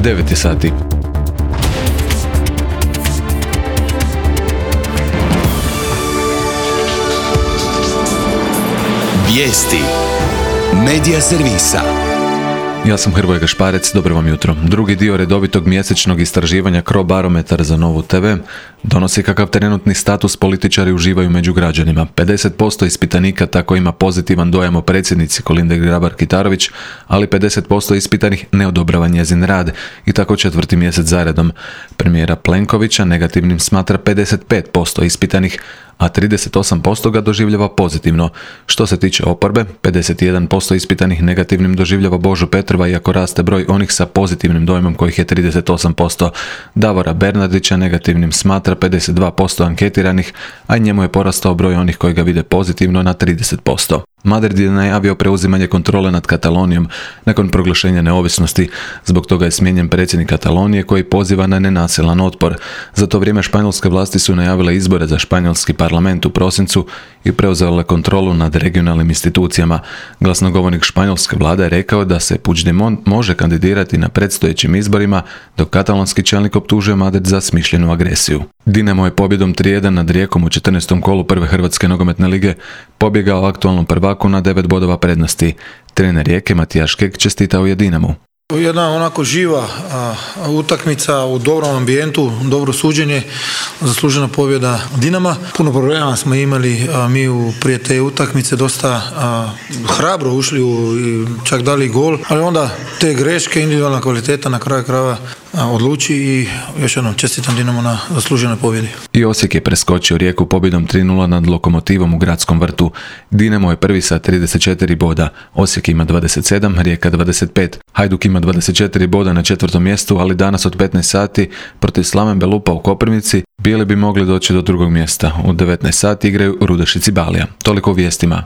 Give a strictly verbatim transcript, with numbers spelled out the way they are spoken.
devet je sati. Vijesti Medija servisa. Ja sam Hrvoje Gašparec, dobro vam jutro. Drugi dio redovitog mjesečnog istraživanja Crobarometar za Novu te ve donosi kakav trenutni status političari uživaju među građanima. pedeset posto ispitanika tako ima pozitivan dojam o predsjednici Kolinde Grabar-Kitarović, ali pedeset posto ispitanih ne odobrava njezin rad i tako četvrti mjesec zaredom. Premijera Plenkovića negativnim smatra pedeset pet posto ispitanih, a trideset osam posto ga doživljava pozitivno. Što se tiče oporbe, pedeset jedan posto ispitanih negativnim doživljava Božu Petrova, iako raste broj onih sa pozitivnim dojmom kojih je trideset osam posto. Davora Bernardića negativnim smatra pedeset dva posto anketiranih, a njemu je porastao broj onih koji ga vide pozitivno na trideset posto. Madrid je najavio preuzimanje kontrole nad Katalonijom nakon proglašenja neovisnosti. Zbog toga je smijenjen predsjednik Katalonije koji poziva na nenasilan otpor. Za to vrijeme španjolske vlasti su najavile izbore za španjolski parlament u prosincu i preuzele kontrolu nad regionalnim institucijama. Glasnogovornik španjolske vlade je rekao da se Puigdemont može kandidirati na predstojećim izborima, dok katalonski čelnik optužuje Madrid za smišljenu agresiju. Dinamo je pobjedom tri jedan nad Rijekom u četrnaestom kolu prve Hrvatske nogometne lige pobjegao aktualnom prvaku na devet bodova prednosti. Trener Rijeke Matijaš Kek čestitao je Dinamu. Jedna onako živa a, utakmica u dobrom ambijentu, dobro suđenje, zaslužena pobjeda Dinama. Puno problema smo imali a, mi u prije te utakmice, dosta a, hrabro ušli u, i čak dali gol, ali onda te greške, individualna kvaliteta na kraju krajeva odluči i još jednom čestitam Dinamo na zasluženoj pobjedi. I Osijek je preskočio Rijeku pobjedom tri nula nad Lokomotivom u Gradskom vrtu. Dinamo je prvi sa trideset četiri boda, Osijek ima dvadeset sedam, Rijeka dvadeset pet. Hajduk ima dvadeset četiri boda na četvrtom mjestu, ali danas od petnaest sati protiv Slaven Belupa u Koprivnici Bijeli bi mogli doći do drugog mjesta. U devetnaest sati igraju Rudeš i Cibalija. Toliko u vijestima.